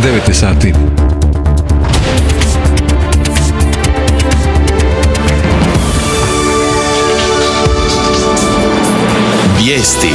9 sati. Vijesti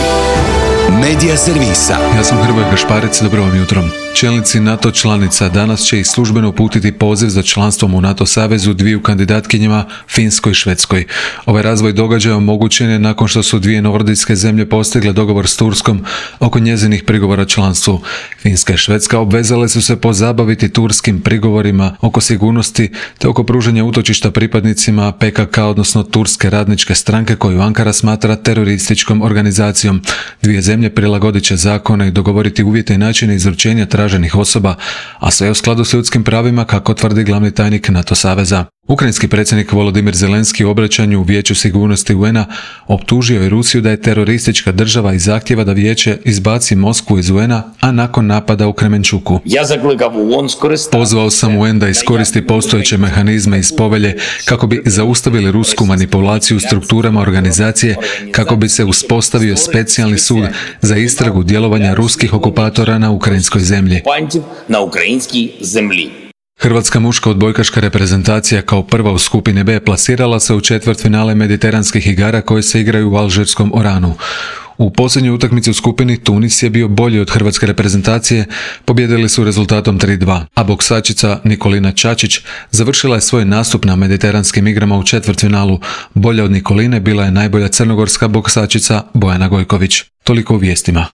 Medija servisa. Ja sam Hrvoje Gašparić, dobro vam jutro. Čelnici NATO članica danas će ih službeno uputiti poziv za članstvom u NATO savezu dviju kandidatkinjama, Finskoj i Švedskoj. Ovaj razvoj događaja omogućen je nakon što su dvije nordijske zemlje postigle dogovor s Turskom oko njezinih prigovora članstvu. Finska i Švedska obvezale su se pozabaviti turskim prigovorima oko sigurnosti te oko pružanja utočišta pripadnicima PKK, odnosno Turske radničke stranke koju Ankara smatra terorističkom organizacijom. Dvije zemlje prilagodit će zakone i dogovoriti uvjete i načine izručenja traženih osoba, a sve u skladu s ljudskim pravima, kako tvrdi glavni tajnik NATO saveza. Ukrajinski predsjednik Volodimir Zelenski u obraćanju u Vijeću sigurnosti UN-a optužio je Rusiju da je teroristička država i zahtjeva da vijeće izbaci Moskvu iz UN-a, a nakon napada u Kremenčuku. Pozvao sam UN da iskoristi postojeće mehanizme iz povelje kako bi zaustavili rusku manipulaciju u strukturama organizacije, kako bi se uspostavio specijalni sud za istragu djelovanja ruskih okupatora na ukrajinskoj zemlji. Hrvatska muška odbojkaška reprezentacija kao prva u skupini B plasirala se u četvrtfinale mediteranskih igara koje se igraju u alžirskom Oranu. U posljednjoj utakmici u skupini Tunis je bio bolji od hrvatske reprezentacije, pobijedili su rezultatom 3:2, a boksačica Nikolina Čačić završila je svoj nastup na mediteranskim igrama u četvrtfinalu. Bolja od Nikoline bila je najbolja crnogorska boksačica Bojana Gojković. Toliko u vijestima.